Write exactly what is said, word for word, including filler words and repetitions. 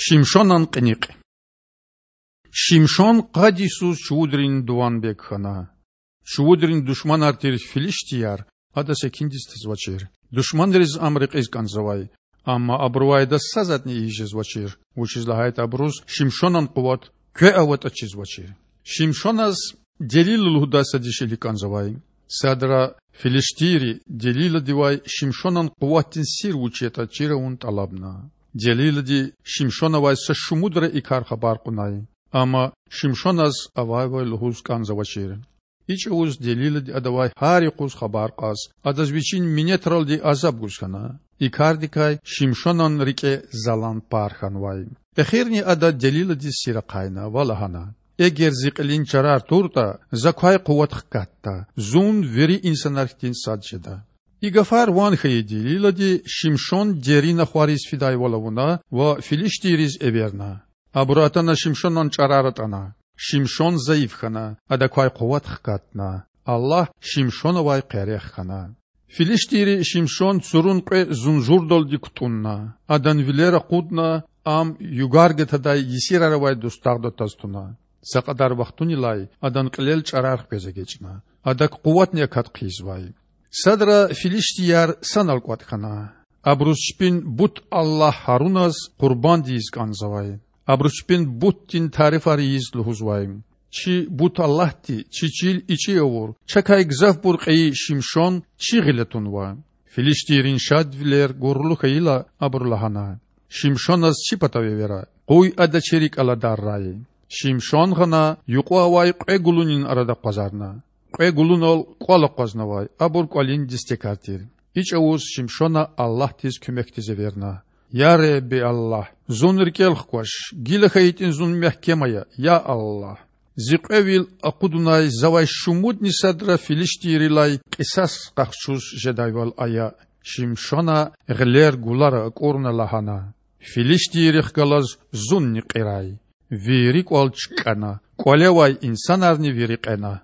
Шимшонан кьиникь. Шимшон къад йисуз чувудрин дуванбег хьана. Чувудрин душманар тир филиштияр адаз экуьндиз тазвачир. Душманриз ам рекьиз кІанзавай, амма абурувай адаз са затІни ийиз жезвачир, вучиз лагьайтІа абуруз Шимшонан къуват кве аватІа чизвачир. Шимшоназ Делила лугьудай са дишегьли кІанзавай. Садра филиштийри Делиладивай Шимшонан къуватдин сир вуч ятІа чир авун тІалабна. Делилади Шимшонавай са шумудра и кар хабар кьунай, амма Шимшоназ авайвал лугьуз кІанзавачир. И чІавуз Делилади адавай гьар юкъуз хабар кьаз, адаз вичин минетралди азаб гуз хьана. И кардикай Шимшонан рикІе залан пар хьанвай. Эхирни ада Делиладиз сир ахъайна ва лагьана: Эгер зи кьилин чарар туртІа, за квай къуват хкатда, зун вири инсанар хьтин сад жеда. И гафар ван хьайи Делилади Шимшон дерин ахвариз фидайвал авуна ва филиштийриз эверна. Абуру атана Шимшонан чІарар атІана. Шимшон зайиф хьана, адак квай къуват хкатна. Аллагь Шимшонавай къерех хьана. Филиштийри Шимшон цурун кьве зунжурдалди кутІунна, адан вилер акъудна, ам югар гатадай есирар авай дустагъда тваз туна. Са кьадар вахтунилай адан кьилел чІарар хквез эгечІна, адак къуватни акат хъийизвай. Садра филиштияр санал кІватІ хьана. Абуруз чпин бут-аллагь Гьаруназ къурбанд ийиз кІанзавай. Абуру чпин бутдин тарифар ийиз лугьузвай: Чи бут-аллагьди чи чил ичІи авур, чакай гзафбур кьейи Шимшон чи гъиле тунва. Филиштийрин шадвилер гурлу хьайила, абуру лагьана: Шимшоназ чи патав эвера, къуй ада чи рикІ аладаррай. Шимшон гъана юкьва авай кьве гулунин арада акъвазарна. Кьве гулунал кІвал акъвазнавай, абур кІвалин дестекар тир. И чІавуз Шимшона Аллагьдиз куьмекдиз эверна: Я Худа Аллагь, зун рикІел хкваш, гила хьайитІани зун мягькем ая, я Аллагь! Зи кьве вил акъудунай завай шумудни садра филиштийрилай кьисас къахчуз жедайвал ая. Шимшона гъилер гулара акІурна лагьана: Филиштийрихъ галаз зунни кьирай. Вири кІвал чкІана, кІвале авай инсанарни вири кьена.